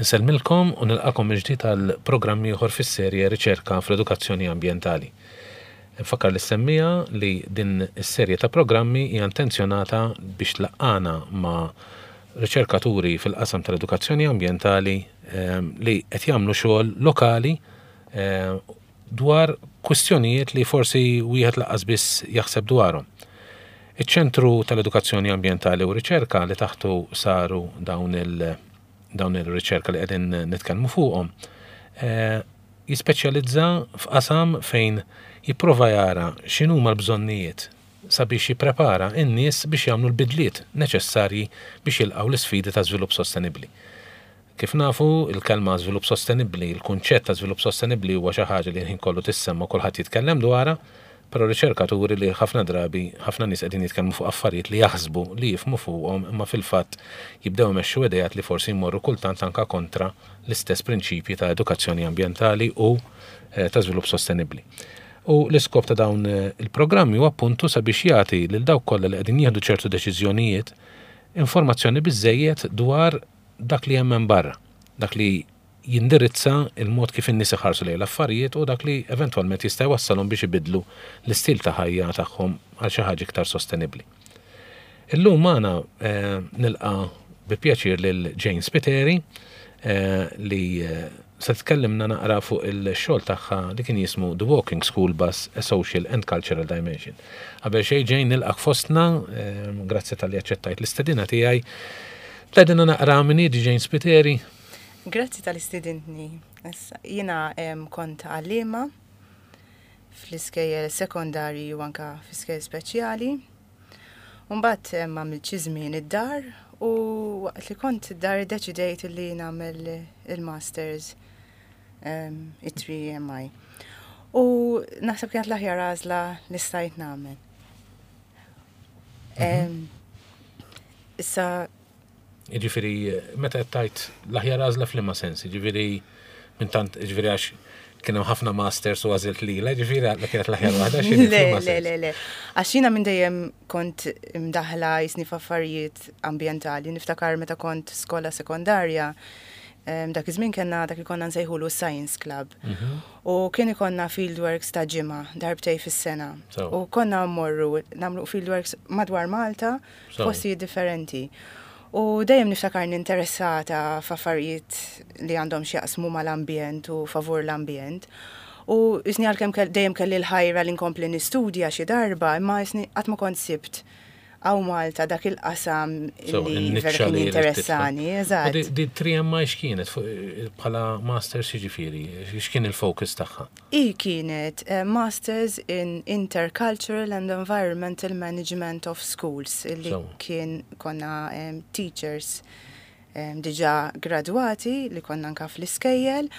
Insellmilkom u nilqakom mill-ġdid għal programm ieħor fis-serje Riċerka fl-Edukazzjoni Ambjentali. Nfakkar lis-semmiegħa li din is-serje ta' programmi hija intenzjonata biex tlaqqagħna ma' riċerkaturi fil-qasam tal-edukazzjoni ambjentali li qed jagħmlu xogħol lokali dwar kwistjonijiet li forsi wieħed lanqas biss jaħseb dwarhom. Iċ-Ċentru tal-Edukazzjoni Ambjentali u Riċerka li taħtu saru dawn il- dawn ir-riċerka li qegħdin nitkellmu fuqhom jispeċjalizza f'qasam fejn jipprova jara x'inhuma l-bżonnijiet sabiex jipprepara n-nies biex jagħmlu l-bidliet neċessarji biex jilqgħu l-isfidi ta' żvilupp sostenibbli. Kif nafu, il-kelma żvilupp sostenibbli, il-kunċett ta' żvilupp sostenibbli huwa xi ħaġa li l-ħin kollu tissemma u kulħadd jitkellem dwarha, però r-riċerka turi li ħafna drabi ħafna nies qegħdin jitkellmu fuq affarijiet li jaħsbu li jifhmu fuqhom imma fil-fatt jibdew imexxu ideat li forsi jmorru kultant anke kontra l-istess prinċipji ta' edukazzjoni ambjentali u ta' żvilupp sostenibbli. U l-iskop ta' dawn il-programmi huwa appuntu sabiex jagħti lil dawk kollha li qegħdin jieħdu ċertu deċiżjonijiet informazzjoni biżżejjed dwar dak li hemm hemm barra, dak li jindirizza l-mod kif in-nies iħarsu lejn l-affarijiet u dak li eventwalment jista' jwassalhom biex ibiddlu l-istil ta' ħajja tagħhom għal xi ħaġa iktar sostenibbli. Illum magħna nilqa' bi pjaċir lil Jane Spiteri li se tkellimna naqra fuq il-xogħol tagħha li kien jismu The Walking School Bus, A Social and Cultural Dimension. Qabel xejn Jane nilqak fostna, grazzi talli aċċettajt l-istedina tiegħi. Tgħidilna naqra min hi Jane Spiteri? Grazzi tal-istedintni. Jiena kont għalliema fl-iskejjel sekondarji u anka fl-iskejjel speċjali. Mbagħad għamilt xi żmien id-dar u waqt li kont id-dar iddeċidejt li nagħmel il-masters it-3MI. U naħseb kienet l-aħjar għażla li stajt nagħmel. Mhm. Issa Jiġifieri meta qed tgħid l-aħjar għażla f'liema sens, jiġifieri minn tant jiġifieri għax kien hemm ħafna masters u għażilt lilha, jiġifieri għadla kienet l-aħjar waħda xi Le, le, le, le. Għax jiena minn dejjem kont imdaħla jisni f'affarijiet ambjentali. Niftakar meta kont skola sekondarja, dak iż-żmien kellna dak li konna nsejħulu Science Club. Mhm. U kien ikollna fieldworks ta' ġimgħa darbtej fis-sena. U konna mmorru nagħmlu fieldworks madwar Malta f'postijiet differenti. U dejjem niftakarni interessata f'affarijiet li għandhom x'jaqsmu mal-ambjent u favur l-ambjent. U jisni għalkemm dejjem kelli l-ħajra li nkompli nistudja xi darba, imma jisni qatt ma kont sibt hawn Malta dak il-qasam li vera kien jinteressani. Eżatt. Di 3MI x'kienet bħala masters jiġifieri, x'kien il-focus tagħha? Hi kienet Masters in Intercultural and Environmental Management of Schools li kien konna teachers diġà gradwati li konna anka fl-iskejjel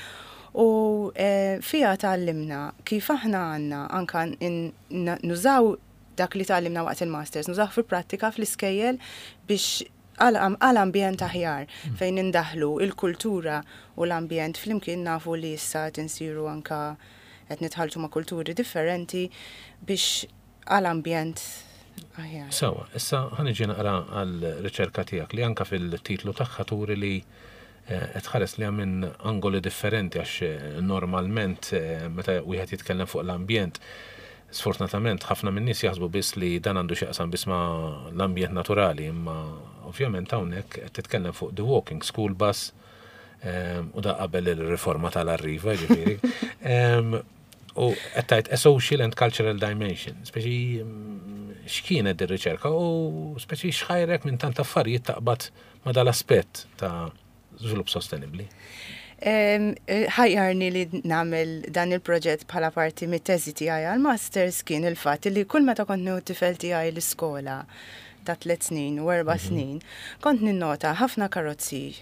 u fiha tgħallimna kif aħna għandna anka nużaw dak li tgħallimna waqt il-masters, nużawh fil-prattika fl-iskejjel biex għal ambjent aħjar fejn indaħħlu il-kultura u l-ambjent flimkien nafu li issa qed insiru anka qed nitħalltu ma' kulturi differenti biex għal ambjent aħjar. Sewwa, issa ħa niġi naqra għal-riċerka tiegħek li anka fil-titlu tagħha turi li qed tħares liha minn angoli differenti għax normalment meta wieħed jitkellem fuq l-ambjent sfortunatament ħafna min-nies jaħsbu biss li dan għandu x'jaqsam biss ma' l-ambjent naturali imma ovvjament hawnhekk qed titkellem fuq the walking school bus u da qabel il-riforma tal-Arriva ġifieri. U qed tgħid a social and cultural dimension, speċi x'kienet dir-riċerka u speċi x'ħajrek minn tant affarijiet taqbad ma' dal-aspett ta' żvilupp sostenibbli? Ħajjarni li nagħmel dan il-proġett bħala parti mit-teżi tiegħi għall-masters kien il-fatt li kull meta kont nieħu t-tifel tiegħi l-iskola ta' tliet snin u erba' mhm. snin, kont ninnota ħafna karozzi,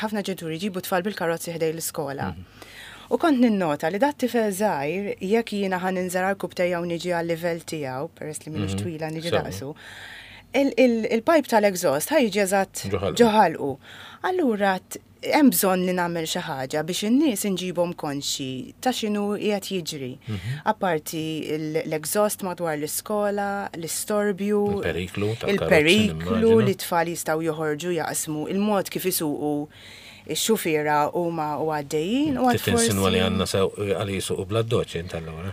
ħafna ġenituri jġibu tfal bil-karozzi ħdej l-iskola. Mhm. U kont ninnota li dat tifel żgħir jekk jiena ħa ninżel għal u niġi għal-livell tiegħu, peress li minix mhm. twila niġi daqsu, il-pipe tal-exhaust ħa jiġi eżatt ġo ħalqu. Allura hemm bżonn li nagħmel xi ħaġa biex in-nies inġibhom konxji ta' x'inhu qiegħed jiġri. Apparti l-exhaust madwar l-iskola, l-istorbju, Il-periklu tal-karozzi, il-periklu nimmaġina. li t-tfal jistgħu joħorġu jaqsmu, il-mod kif isuqu x-xufiera huma u għaddejjin u għad Titinsinwa li forsi għandna sew għal jisuqu bla doċ int allura.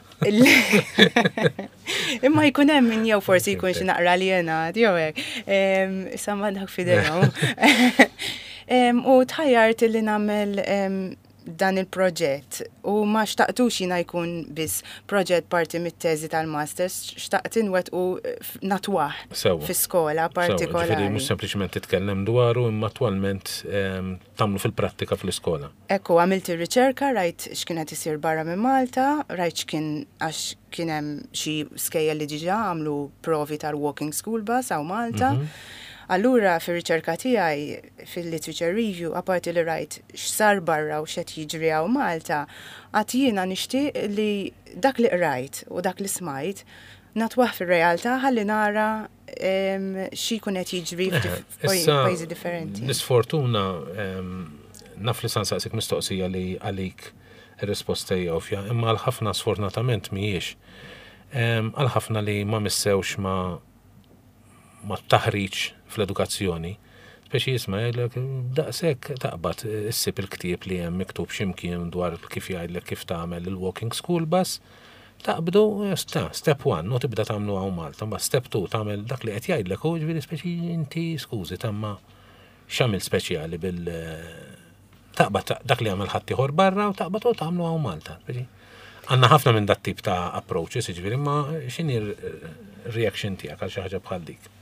Imma jkun hemm min jew forsi jkun xi naqra aljenat jew hekk. Issa ma dak f'idejhom. U tħajjart li nagħmel dan il-proġett u ma xtaqtux jiena jkun biss proġett parti mit-teżi tal-masters, xtaqt inwettqu natwah fi skola Sewwa, ġifieri partikolari. mhux sempliċement titkellem dwaru imma attwalment tagħmlu fil-prattika fl-iskola. Ekku, għamilt ir-riċerka, rajt x'kien qed isir barra minn Malta, rajt x'kien għax kien hemm xi skejjel li diġà għamlu provi tal-walking school bus hawn Malta. Allura fir-riċerka tiegħi fil-literature review, apparti li rajt x'sar barra u x'qed jiġri hawn Malta, għad jiena nixtieq li dak li qrajt u dak li smajt natwah fir-realtà ħalli nara xi jkun qed jiġri Issa, f'pajjiżi differenti. Nisfortuna naf li sansaqsik mistoqsija li għalik ir-risposta hija ovvja, imma għal ħafna sfortunatament mhijiex. Għal ħafna li ma missewx ma taħriġ fl-edukazzjoni, speċi jisma' jgħidlek daqshekk taqbad issib il-ktieb li hemm miktub x'imkien dwar kif jgħidlek kif tagħmel il-walking school bus, taqbdu sta, step 1, u tibda tagħmlu hawn Malta, mbagħad step 2 tagħmel dak li qed jgħidlek u ġifieri speċi inti skużi tamma x'għamil speċjali bil taqbad dak li għamel ħaddieħor barra u taqbad u tagħmlu hawn Malta. Speċi. Għandna ħafna minn dat tip ta' approaches, jiġifieri, imma x'inhi r-reaction tiegħek għal xi ħaġa bħal dik?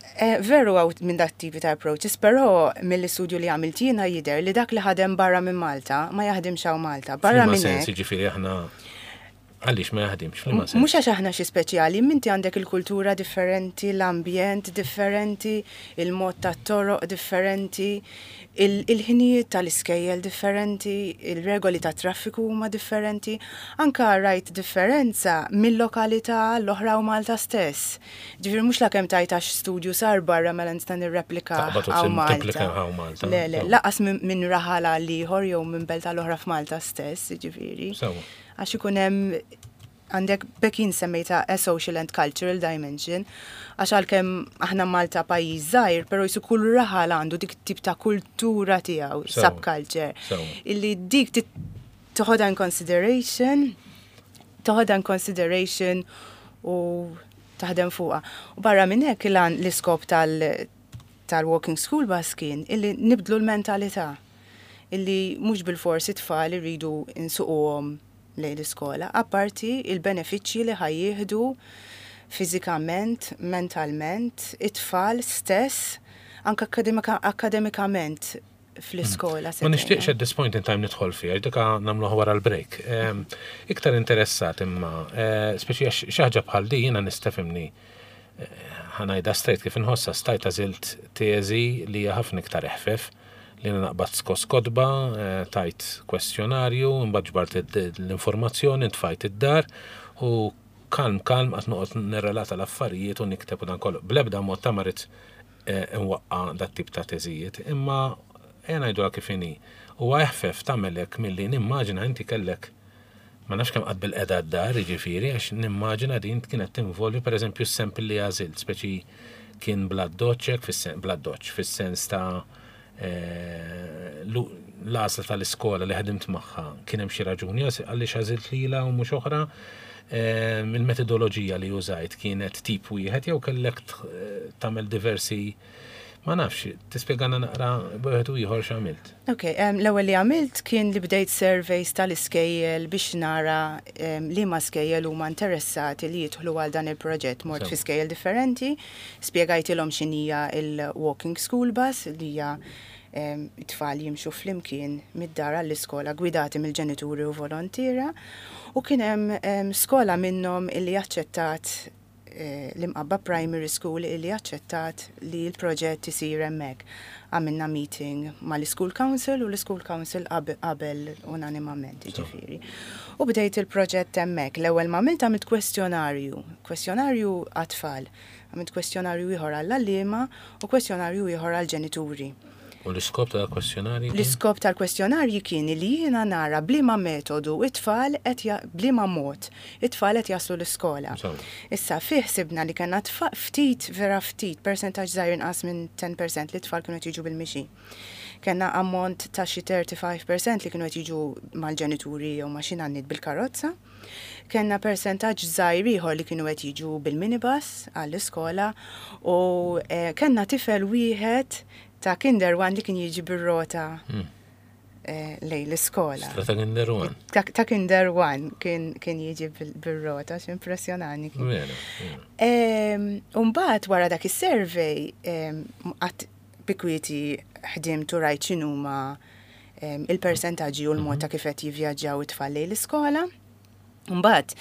Veru hawn minn dat tipi ta' approaches, però mill-istudju li għamilt jiena jidher li dak li ħadem barra minn Malta ma jaħdimx hawn Malta. Barra F'liema minn sens, hekk. jiġifieri aħna għaliex ma jaħdimx, f'liema sens? Mhux għax aħna xi speċjali, minti għandek il-kultura differenti, l-ambjent differenti, il-mod tat-toroq differenti, il-ħinijiet tal-iskejjel differenti, il-regoli ta' traffiku huma differenti. Anka rajt differenza mill-lokalità l-oħra u Malta stess. Ġifieri mhux la kemm tajt għax studju sar barra mela nista' nirreplika Taqbad u hawn Malta. timplika hawn Malta. Le, le, Sewwa. laqas minn raħal għal ieħor jew minn belt għal oħra f'Malta stess, ġifieri. Sewwa. Għax ikun hemm għandek bekin semmejta a social and cultural dimension, għax għalkemm aħna Malta pajjiż żgħir, però jisu kull raħal għandu dik tip ta' kultura tiegħu, subculture. Illi dik toħodha in consideration, toħodha in consideration u taħdem fuqha. U barra minn hekk l-iskop tal-walking school bus kien illi nibdlu l-mentalità. Illi mhux bil-forsi tfal irridu nsuquhom lejn l-iskola, apparti il-benefiċċji li ħa jieħdu fiżikament, mentalment, it-tfal stess, anke akademikament fl-iskola. Ma nixtieqx at this point in time nidħol fiha, dik nagħmluha wara l-break. Iktar interessat imma, speċi għax xi ħaġa bħal di jiena nistefimni, ħa ngħidha straight kif inħossa stajt għażilt teżi li hija ħafna iktar eħfef li naqbad skos kotba, tajt kwestjonarju, imbagħad ġbart l-informazzjoni, tfajt id-dar u kalm kalm qatt noqgħod nirrelata l-affarijiet u nikteb u dan kollu. Bl-ebda mod ta' marit nwaqqa dat tip ta' teżijiet, imma ejja ngħiduha kif inhi. Huwa eħfef tagħmel hekk milli nimmaġina inti kellek ma nafx kemm qatt bil-qeda d-dar, jiġifieri, għax nimmaġina din kienet tinvolvi pereżempju s-sample li għażilt, speċi kien bla doċċek, bla doċċ, fis-sens ta' l-għażla tal-iskola li ħedimt magħha, kien hemm xi raġuni għaliex għażilt lilha u mhux oħra. Il-metodoloġija li użajt kienet tip wieħed jew kellek tagħmel diversi, ma nafx, tispjegana naqra b'wieħed u ieħor x'għamilt. Ok, l-ewwel li għamilt kien li bdejt surveys tal-iskejjel biex nara liema skejjel huma interessati li jidħlu għal dan il-proġett. Mort fi skejjel differenti, spjegajtilhom x'inhija il-walking school bus li hija it-tfal jimxu flimkien mid-dar għall-iskola gwidati mill-ġenituri u volontira, u kien hemm skola minnhom illi aċċettat l-Imqabba Primary School illi aċċettat li l-proġett isir hemmhekk. Għamilna meeting mal-School Council u l-School Council qabel unanimament, jiġifieri. U bdejt il-proġett hemmhekk. L-ewwel ma għamilt għamilt kwestjonarju, kwestjonarju għat-tfal, għamilt kwestjonarju ieħor għall-għalliema u kwestjonarju ieħor għall-ġenituri. U l-iskop tal-kwestjonarji? L-iskop tal-kwestjonarji kien li jiena nara b'liema metodu it-tfal qed b'liema mod it-tfal qed jaslu l-iskola. Issa fih sibna li kellna ftit vera ftit persentaġġ żgħir inqas minn 10% li t-tfal kienu qed jiġu bil-mixi. Kellna ammont ta' xi 35% li kienu qed jiġu mal-ġenituri jew ma' xi nanniet bil-karozza. Kellna persentaġġ żgħir ieħor li kienu qed jiġu bil-minibus għall-iskola u eh, kellna tifel wieħed ta' Kinder One li kien jiġi bir-rota hmm. eh, lejn l-iskola. Ta' Kinder One. Ta' Kinder One kien, kien jiġi bil-rota, x'impressjonani kien. Umbagħad wara dak is-survey qatt bi kwieti ħdimt u rajt x'inhuma il-persentaġġi u l-mod ta' kif qed jivvjaġġaw it-tfal lejn l-iskola. Mbagħad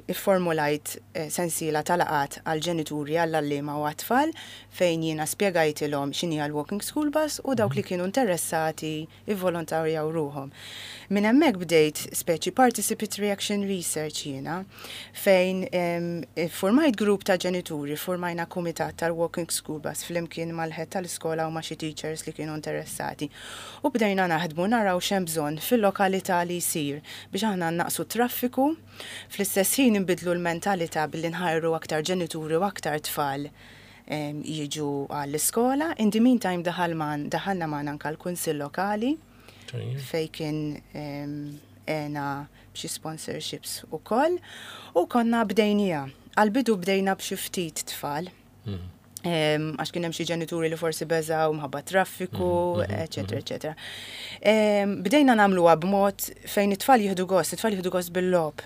ifformulajt eh, sensiela ta' laqgħat għall-ġenituri, għall-għalliema u għat-tfal fejn jiena spjegajtilhom x'inhi l-walking school bus u dawk li kienu interessati ivvolontarjaw ruħhom. Minn hemmhekk bdejt speċi participatory action research jiena fejn iffurmajt grupp ta' ġenituri, ffurmajna kumitat tal-walking school bus flimkien mal-head tal-iskola u ma' xi teachers li kienu interessati. U bdejna naħdmu naraw x'hemm bżonn fil-lokalità li jsir biex aħna nnaqqsu t-traffiku, fl-istess ħin inbiddlu l-mentalità billi nħajru aktar ġenituri u aktar tfal jiġu għall-iskola. In the meantime daħal man, daħalna magħna anke l-Kunsill Lokali fejn kien għena b'xi sponsorships ukoll u konna bdejnija. Għal-bidu bdejna b'xi ftit tfal. Mhm. Għax kien hemm xi ġenituri li forsi beżaw mħabba traffiku, mhm, mhm, eċetera, eċetera. Bdejna nagħmluha b'mod fejn it-tfal jieħdu gost, it-tfal jieħdu gost bil-logħob.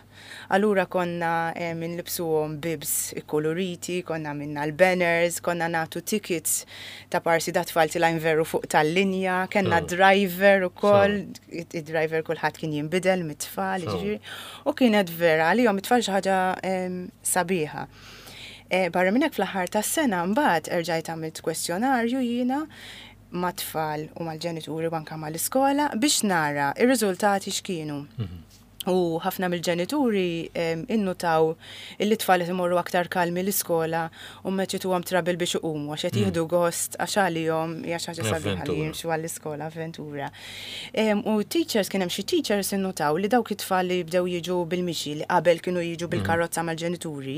Allura konna inlibbsuhom bibs ikkuluriti, konna għamilna l-banners, konna nagħtu tickets ta' parsi da tfal tilgħin veru fuq tal-linja, kellna driver ukoll, id-driver kulħadd kien jinbidel mit-tfal, jiġifieri, u kienet vera għalihom it-tfal xi ħaġa sabiħa. Barra minn hekk fl-aħħar tas-sena mbagħad erġajt għamilt kwestjonarju jiena mat-tfal u mal-ġenituri u anke mal-iskola biex nara r-riżultati x'kienu. U ħafna mill-ġenituri innutaw illi t-tfal qed imorru aktar kalmi l-iskola u m'qedx ituhom trouble biex iqumu għax qed jieħdu gost għax għalihom hija xi ħaġa sabiħa li jimxu għall-iskola avventura. U teachers kien hemm xi teachers innutaw li dawk it-tfal li bdew jiġu bil-mixi li qabel kienu jiġu bil-karozza mal-ġenituri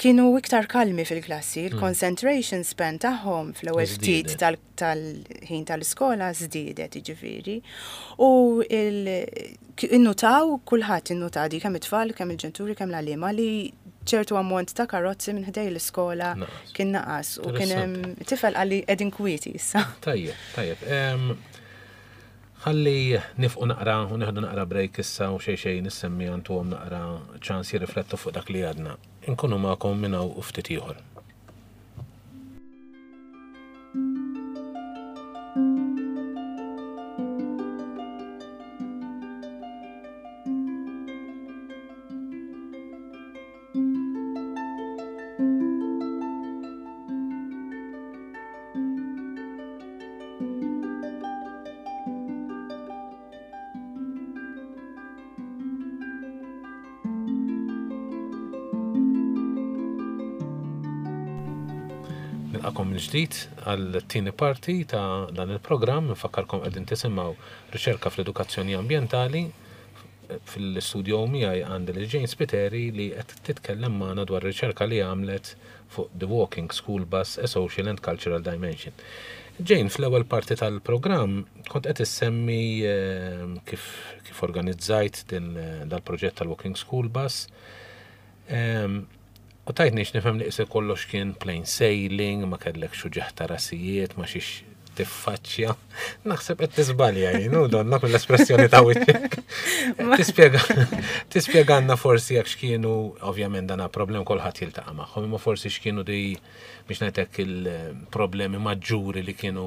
kienu iktar kalmi fil-klassi, il-concentration span tagħhom fl-ewwel ftit tal-ħin tal-iskola żdiedet jiġifieri. U innutaw, kulħadd innota di kemm it-tfal, kemm il-ġenituri, kemm l-għalliema li ċertu ammont ta' karozzi minn ħdej l-iskola kien naqas u kien hemm tifel qalli qegħdin kwieti issa. Tajjeb, tajjeb. Ħalli nifqu naqra u nieħdu naqra break issa u xejn xejn nissemmi għantuhom naqra ċans jirriflettu fuq dak li għadna. Inkunu magħkom minn hawn u ftit ieħor. Nilqakom mill-ġdid għal-tieni parti ta' dan il-programm, nfakkarkom qegħdin tisimgħu riċerka fl-edukazzjoni ambjentali. Fil-studio miegħi għandi lil Jane Spiteri li qed titkellem magħna dwar riċerka li għamlet fuq The Walking School Bus, A Social and Cultural Dimension. Jane, fl-ewwel parti tal-programm kont qed issemmi ehm, kif, kif organizzajt din dal-proġett tal-Walking School Bus. Ehm, u tajtni nifhem li qisek kollox kien plain sailing, ma kellek xuġeħ ta' rasijiet, ma xiex tiffaċċja. Naħseb qed tiżbalja jien, u donna mill-espressjoni ta' wiċċek. Tispjega tispjegalna forsi jekk x'kienu, ovvjament dan problem kulħadd jiltaqa' magħhom, imma forsi x'kienu di biex ngħidlek il-problemi maġġuri li kienu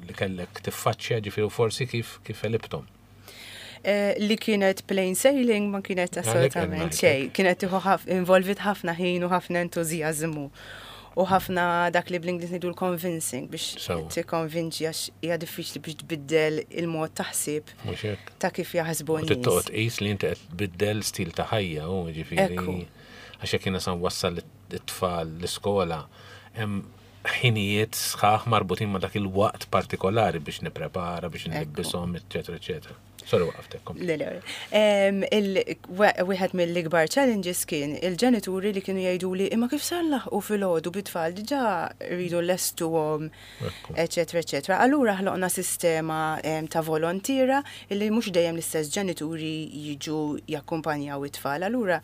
li kellek tiffaċċja, ġifieri forsi kif kif għelibthom. Eh, li kienet plain sailing ma kienet assolutament xejn. Kienet tieħu involvit ħafna ħin u ħafna entużjażmu u ħafna dak li bl-Ingliż ngħidu l-convincing biex tikkonvinċi għax hija diffiċli biex tbiddel il-mod taħsib ta' kif jaħsbu n-nies. Toqgħod qis li inti qed tbiddel stil ta' ħajja u ġifieri għax jekk jiena sa nwassal it-tfal l-iskola hemm. ħinijiet sħaħ marbutin ma' dak il-waqt partikolari biex nipprepara, biex nlibbishom, eċetera, eċetera. Sorry waqaftek. Le, le. Wieħed mill-ikbar challenges kien il-ġenituri li kienu jgħiduli imma kif se nlaħħqu filgħodu bit-tfal diġà rridu nlestuhom, eċetera, eċetera. Allura ħloqna sistema ta' volontiera illi mhux dejjem l-istess ġenituri jiġu jakkumpanjaw it-tfal. Allura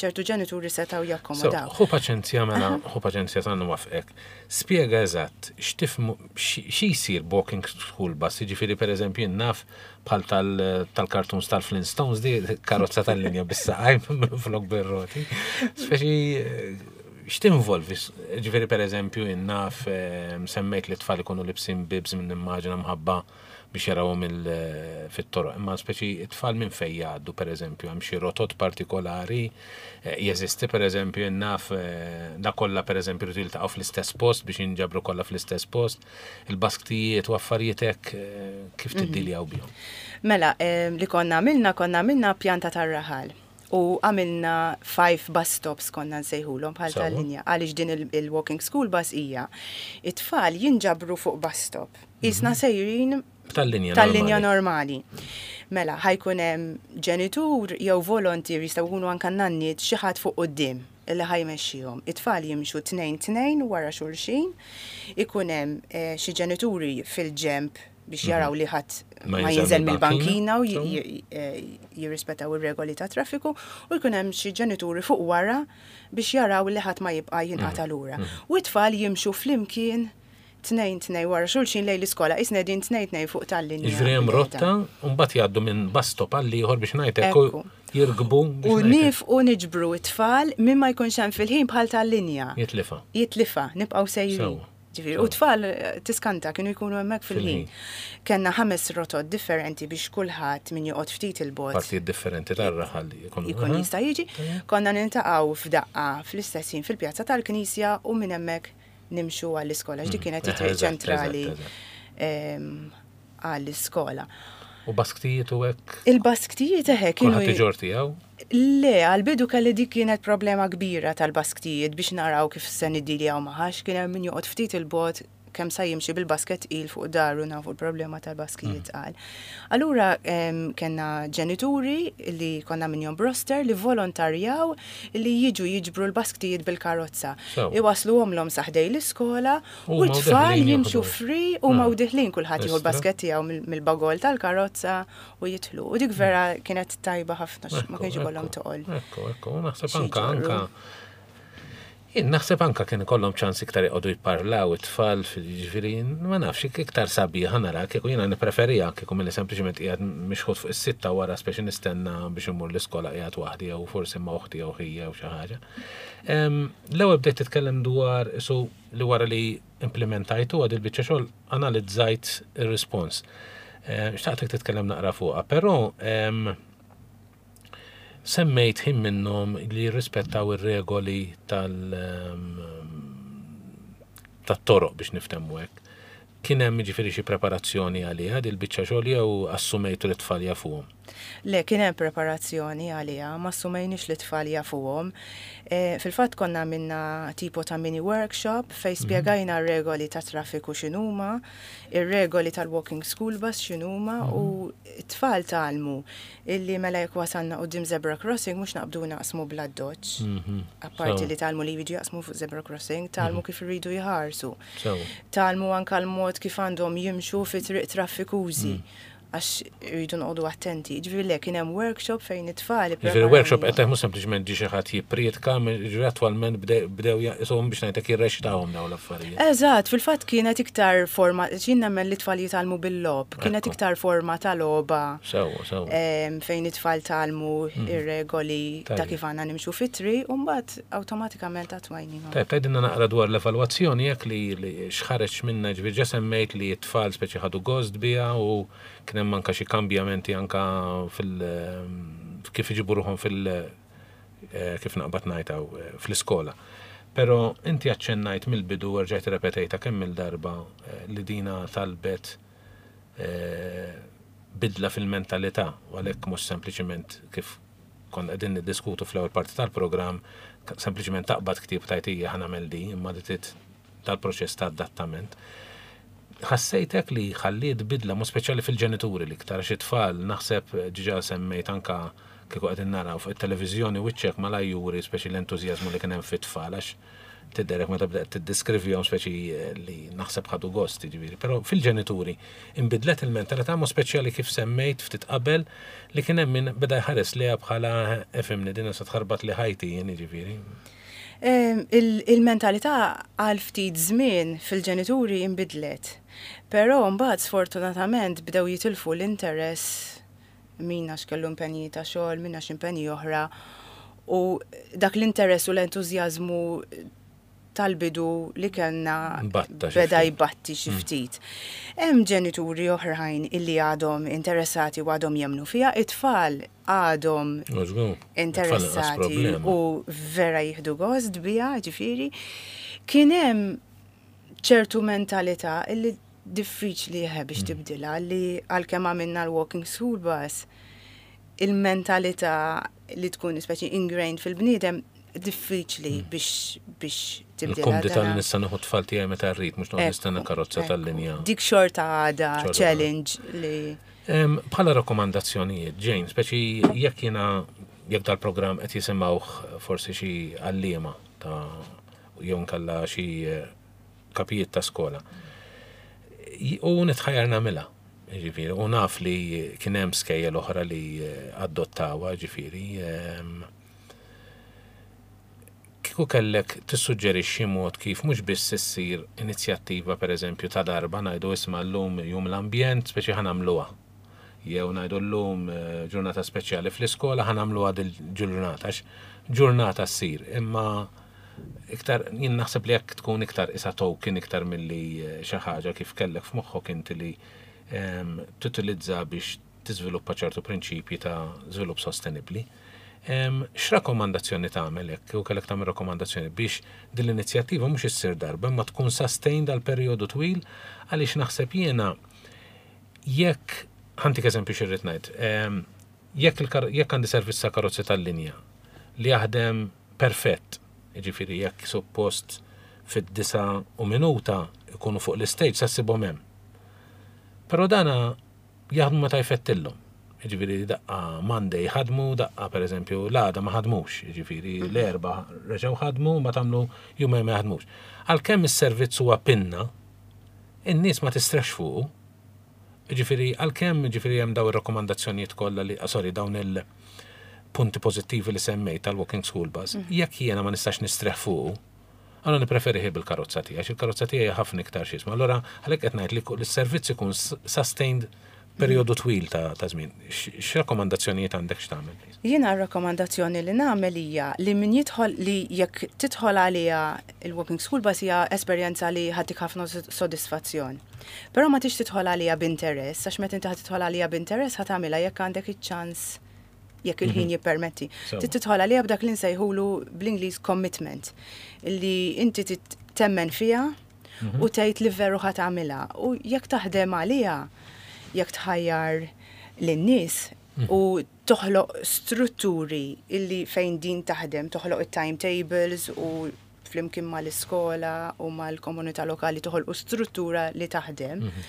ċertu ġenituri setgħu jakkomodaw. Ħu paċenzja mela, ħu paċenzja ta' nwaffqek. Spjega eżatt x'tifhmu xi jsir b'walking school bus, jiġifieri pereżempju jien naf bħal tal-cartoons tal-Flintstones di karozza tal-linja bis-saqajn minflok bir-roti. Speċi x'tinvolvi? Ġifieri pereżempju jien naf semmejt li t-tfal ikunu libsin bibs minn immaġina mħabba biex jarawhom fit-toroq, imma speċi t-tfal minn fejn jgħaddu pereżempju, hemm xi rotot partikolari, jeżisti pereżempju jien naf da kollha pereżempju jridu jiltaqgħu fl-istess post biex jinġabru kollha fl-istess post, il-basktijiet u affarijiet hekk kif tiddiljaw bihom? Mela, li konna għamilna, konna għamilna pjanta tar-raħal u għamilna 5 bus stops konna nsejħulhom bħal tal-linja għaliex din il-walking school bus hija it-tfal jinġabru fuq bus stop. Qisna sejrin tal-linja tal-linja normali. Mela, ħa jkun hemm ġenitur jew volontier jistgħu jkunu anke nanniet xi ħadd fuq quddiem li ħa jmexxihom. It-tfal jimxu tnejn tnejn wara xulxin, ikun hemm xi ġenituri fil-ġenb biex jaraw li ħadd ma jinżel mill-bankina u jirrispettaw ir-regoli tat-traffiku u jkun hemm xi ġenituri fuq wara biex jaraw li ħadd ma jibqa' jinqata' lura. U t-tfal jimxu flimkien tnejn tnejn wara xulxin lejn l-iskola, qisna qegħdin tnejn tnejn fuq tal-linja. Jiġifieri hemm rotta u mbagħad jgħaddu minn bus stop għal ieħor biex ngħid hekk u jirkbu biex U niefqu niġbru t-tfal min ma jkunx hemm fil-ħin bħal tal-linja. Jitlifha. Jitlifha, nibqgħu sejrin. Ġifieri, u t-tfal tiskanta kienu jkunu hemmhekk fil-ħin. Kellna ħames rotot differenti biex kulħadd min joqgħod ftit 'il bogħod. Partijiet differenti tar-raħal jkunu. Jkun jista' jiġi. Konna niltaqgħu f'daqqa fl-istess ħin fil-pjazza tal-Knisja u minn hemmhekk nimxu għall-iskola, għax dik kienet it-triq ċentrali għall-iskola. U basktijiet u hekk? Il-basktijiet eħe kienu. Kulħadd iġorr tiegħu? Le, għall-bidu kelli dik kienet problema kbira tal-basktijiet biex naraw kif se niddiljaw magħha, għax kien hemm min joqgħod ftit 'il bogħod kemm sa jimxi bil-basket tqil fuq daru nafu l-problema tal-baskijiet tqal. Allura kellna ġenituri li konna minnhom b'roster li volontarjaw li jiġu jiġbru l-basktijiet bil-karozza. Iwassluhomlhom sa ħdejn l-iskola u t-tfal jimxu free huma u diħlin kulħadd jieħu l-basket tiegħu mill-bagol tal-karozza u jidħlu. U dik vera kienet tajba ħafna ma kienx ikollhom toqol. Ekku, ekku, naħseb anka anka Jien naħseb anka kien ikollhom ċans iktar joqogħdu jipparlaw it-tfal, jiġifieri ma nafx, iktar sabiħa nara kieku jiena nippreferiha kieku milli sempliċement qiegħed mixħut fuq is-sitta wara speċi nistenna biex immur l-iskola qiegħed waħdi jew forsi ma' oħti jew ħija jew xi ħaġa. L-ewwel bdejt titkellem dwar isu li wara li implimentajtuha dil-biċċa xogħol analizzajt ir-rispons. Xtaqtek titkellem naqra fuqha, però Semmejt ħin minnhom li jirrispettaw ir-regoli tal tat-toroq biex niftehmu hekk. Kien hemm jiġifieri xi preparazzjoni għaliha dil biċċa xogħol jew assumejtu li t-tfal jafuhom? Le, kien hemm preparazzjoni għaliha, ma assumejniex li t-tfal jafuhom. Fil-fatt konna għamilna tipo ta' mini workshop fejn spjegajna r-regoli tat-traffiku x'inhuma, ir-regoli tal-walking school bus x'inhuma u t-tfal tgħallmu Illi mela jekk wasalna quddiem zebra crossing mhux naqbdu naqsmu bl-addoċċ. Apparti li tgħallmu li jridu jaqsmu fuq zebra crossing, tgħallmu kif iridu jħarsu. Tgħallmu anke l-mod kif għandhom jimxu fi triq traffikużi. Għax iridu noqogħdu attenti. Ġifieri le kien hemm workshop fejn it-tfal. Ġifieri workshop qed mhux sempliċement ġie xi ħadd jipprietka, ġifieri attwalment bdew jaqishom biex ngħidlek jirreċitawhom dawn l-affarijiet. Eżatt, fil-fatt kienet iktar forma, jien nemmen li t-tfal jitgħallmu bil-logħob, kienet iktar forma ta' logħba. Sewwa, sewwa. Fejn it-tfal tgħallmu ir-regoli ta' kif għandna nimxu fit-triq u mbagħad awtomatikament attwajnihom. Tajjeb, tgħidilna naqra dwar l-evalwazzjoni hekk li x'ħareġ minnha, jiġifieri ġa semmejt li t-tfal speċi ħadu gost biha u kien hemm anke xi kambjamenti anke fil kif iġibu ruħhom fil kif naqbad ngħid hawn fl-iskola. Però inti aċċennajt mill-bidu u rġajt irrepetejtha kemm-il darba li dina talbet bidla fil-mentalità u għalhekk mhux sempliċiment kif konna qegħdin niddiskutu fl-ewwel parti tal-programm, sempliċiment taqbad ktieb tgħid ejja ħa nagħmel di, imma li trid tal-proċess ta' adattament. Ħassejtek li ħalliet bidla mod speċjali fil-ġenituri l-iktar għax it-tfal naħseb ġiġa semmejt anka kieku qegħdin naraw fuq it-televiżjoni wiċċek malajr juri speċi l-entużjażmu li kien hemm fit-tfal għax tidherek meta bdejt tiddiskrivihom speċi li naħseb ħadu gost, jiġifieri. Però fil-ġenituri inbidlet il-mentalità mod speċjali kif semmejt ftit qabel li kien hemm min beda jħares lejha bħala ifhimni din se tħarbatli ħajti jien jiġifieri. Il-mentalità għal ftit żmien fil-ġenituri inbidlet. Però mbagħad sfortunatament bdew jitilfu l-interess min għax kellu impenji ta' xogħol, min għax impenji oħra. U dak l-interess u l-entużjażmu tal-bidu li kellna beda jbatti xi mm. ftit. Hemm ġenituri oħrajn illi għadhom interessati u għadhom jemnu fiha, it-tfal għadhom interessati u vera jieħdu gost biha, ġifieri. Kien hemm ċertu mentalità illi diffiċli biex mm. tibdilha li għalkemm għamilna l-walking school bus il-mentalità li tkun speċi ingrained fil-bniedem diffiċli mm. biex biex tibdilha. Il-kumdità li nista' nieħu tfal tiegħi meta rrid mhux noqgħod nistenna karozza tal-linja. Dik xorta għadha challenge li Bħala rakkomandazzjonijiet, Jane, speċi jekk jiena jekk dal-programm qed jisimgħuh forsi xi għalliema ta' jew nkella xi eh, kapijiet ta' skola. U nitħajjar nagħmilha, ġifieri, u naf li kien hemm skejjel oħra li eh, adottawha, ġifieri. Ehm, Kieku kellek tissuġġerixxi mod kif mhux biss issir inizjattiva pereżempju ta' darba ngħidu isma' llum Jum l-Ambjent speċi ħa nagħmluha. Jew ngħidu llum ġurnata speċjali fl-iskola ħa nagħmluha dil-ġurnata għax ġurnata ssir imma iktar jien naħseb li hekk tkun iktar isa token iktar milli xi ħaġa kif kellek f'moħħok inti li tutilizza biex tiżviluppa ċertu prinċipji ta' żvilupp sostenibbli. X'rakkomandazzjoni tagħmel hekk kieku kellek tagħmel rakkomandazzjoni biex din l-inizjattiva mhux issir darba imma tkun sustained għal perjodu twil għaliex naħseb jiena jekk ħantik eżempju xi rrid ngħid. Jekk jekk għandi servizz ta' karozzi tal-linja li jaħdem perfett, jiġifieri jekk suppost fid-disa u minuta ikunu fuq l-istage sa ssibhom hemm. Però dana jaħdmu meta jfettillhom. Jiġifieri daqqa Monday ħadmu, daqqa pereżempju l-għada ma ħadmux, jiġifieri mhm. l-erba reġgħu ħadmu ma tagħmlu jumejn ma jaħdmux. Għalkemm is-servizz huwa pinna, in-nies ma tistrex fuqu. Jiġifieri għalkemm jiġifieri hemm dawn ir-rakkomandazzjonijiet kollha li sorry dawn il-punti pożittivi li semmejt tal-walking school bus, mhm. jekk jiena ma nistax nistreħ fuqu, Allura nippreferi bil-karozza tiegħi, għax il-karozza tiegħi ħafna iktar x'isma. Allura għalhekk qed ngħid li s-servizz ikun sustained perjodu twil ta' żmien. X'rakkomandazzjonijiet għandek x'tagħmel? Jiena r-rakkomandazzjoni li nagħmel hija li min jidħol li jekk tidħol għaliha il-walking school bus hija esperjenza li ħatik ħafna sodisfazzjon. Però ma tix tidħol għaliha b'interess, għax meta inti ħa tidħol għaliha b'interess ħa tagħmilha jekk għandek iċ-ċans jekk il-ħin mhm. jippermetti. Trid tidħol għaliha b'dak li nsejħulu bl-Ingliż commitment, li inti temmen fiha mhm. u tgħid li veru ħa tagħmilha. U jekk taħdem għaliha, jekk tħajjar lin-nies mhm. u toħloq strutturi illi fejn din taħdem, toħloq it-timetables u flimkien mal-iskola u mal-komunità lokali toħolqu struttura li taħdem, mhm.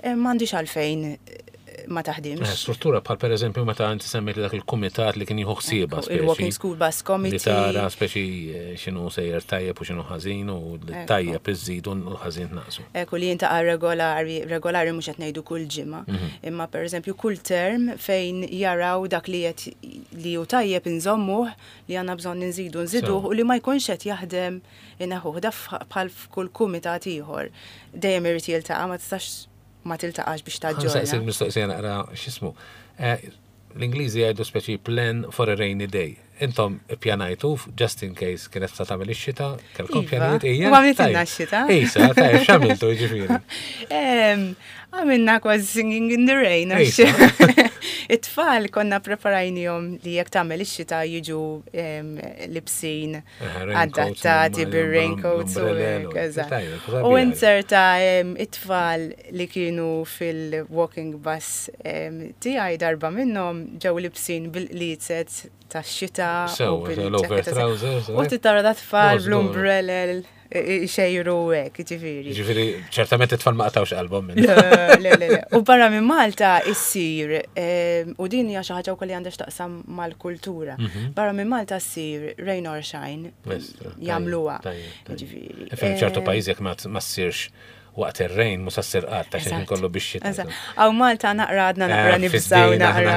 eh, m'għandix għalfejn eh, ma taħdimx. Eh, struttura bħal per eżempju meta inti semmejt dak il-kumitat li kien jieħu ħsieba. Il-Walking School Bus Committee. Li tara speċi x'inhu sejjer tajjeb u x'inhu ħażin u li tajjeb iżżidu u l-ħażin tnaqsu. Ekku li jintaqa' regolari, regolari mhux qed ngħidu kull ġimgħa, mhm. imma per eżempju kull term fejn jaraw dak li qed li hu tajjeb inżommuh li għandna bżonn inżidu nżiduh u li ma jkunx qed jaħdem inneħħuh. Da bħal f'kull kumitat ieħor. Dejjem irid jiltaqa' ma tistax ma tiltaqax biex taġġorna. Nsaqsik mistoqsija naqra x'ismu. Eh, l-Ingliżi jgħidu speċi plan for a rainy day. Intom ippjanajtu just in case kienet sa tagħmel ix-xita, kellkom iva. pjanijiet ejja. U għamiltilna x-xita. Ejsa, tajjeb x'għamiltu jiġifieri. Għamilna kważi singing in the rain. It-tfal konna preparajnihom li jekk tagħmel ix-xita jiġu libsin adattati bir-raincoats u U inserta it-tfal li kienu fil-walking bus tiegħi darba minnhom ġew libsin bil-qliezet tax-xita. U bil-trousers. U titara da tfal bl-umbrella. xejru hekk, ġifieri. Ġifieri, ċertament it-tfal ma qatawx qalbhom minn. Le, le, le. U barra minn Malta issir, u din hija xi ħaġa wkoll li għandha x'taqsam mal-kultura. Mhm. Barra minn Malta ssir rain or shine jagħmluha. Ġifieri. Ċertu pajjiż jekk ma ssirx waqt ir-rejn mhux ssir qatt għax il kollu biex xita. Aw Malta naqra għadna naqra eh, nibżaw naqra.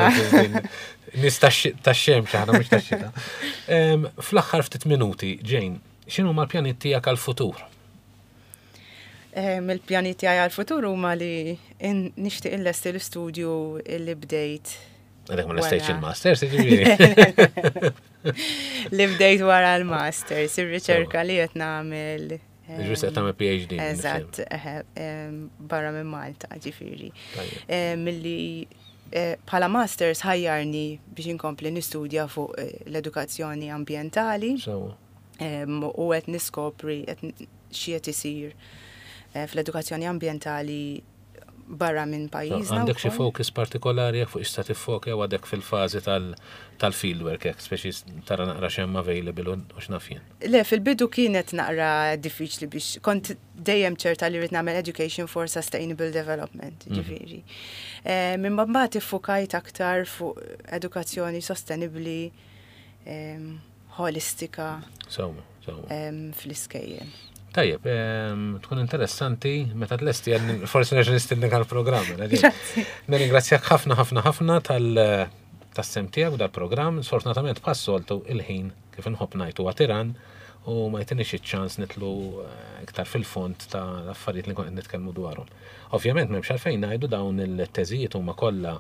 Nis tax-xemx aħna mhux tax-xita. Fl-aħħar ftit minuti, Jane, x'inhu mal-pjaniet tiegħek għall-futur? Il-pjani tiegħi għall-futur huma li nixtieq inlesti l-istudju li bdejt. Għadek ma lestejtx il-masters, ġifieri. Li bdejt wara l-masters, ir-riċerka li qed nagħmel Ġifieri se tagħmel PhD. Eżatt, barra minn Malta, ġifieri. Milli eh, bħala masters ħajjarni biex inkompli nistudja fuq eh, l-edukazzjoni ambjentali. U qed niskopri qed xi qed isir eh, fl-edukazzjoni ambjentali barra minn pajjiżna. Għandek xi focus partikolari jekk fuq issa tiffoka jew għadek fil-fażi tal-fieldwork hekk, speċi tara naqra x'hemm available u x'naf jien. Le, fil-bidu kienet naqra diffiċli biex kont dejjem ċerta li rrid nagħmel education for sustainable development, mhm. ġifieri. Eh, minn mbagħad iffukajt aktar fuq edukazzjoni sostenibbli ħolistika fl-iskejjel. Tajjeb, tkun interessanti meta tlesti forsi nerġa' nistennik għall-programm. Nirringrazzjak ħafna ħafna ħafna tal tas-sem tiegħek u dal-programm. Sfortunatament bħas-soltu il-ħin kif inħobb ngħid huwa tiran u ma jtinix iċ-ċans nitlu eh, iktar fil-fond ta' affarijiet li nkun qed nitkellmu dwarhom. Ovvjament m'hemmx għalfejn ngħidu dawn il-teżijiet huma kollha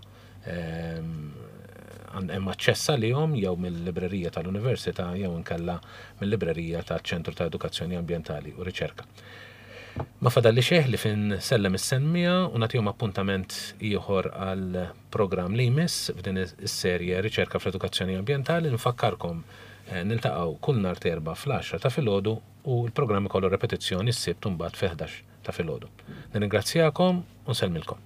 hemm aċċess għalihom jew mill-librerija tal-Università jew inkella mill-librerija taċ-Ċentru ta' Edukazzjoni Ambjentali u Riċerka. Ma fadalli xejn li fin sellem is-semmija u nagħtihom appuntament ieħor għal programm li jmiss f'din is-serje Riċerka fl-Edukazzjoni Ambjentali. Nfakkarkom eh, niltaqgħu kull nhar terba fl-10 ta' filgħodu u l-programm ikollu repetizzjoni s-Sibt mbagħad fil-11 ta' filgħodu. Nirringrazzjakom u nsellmilkom.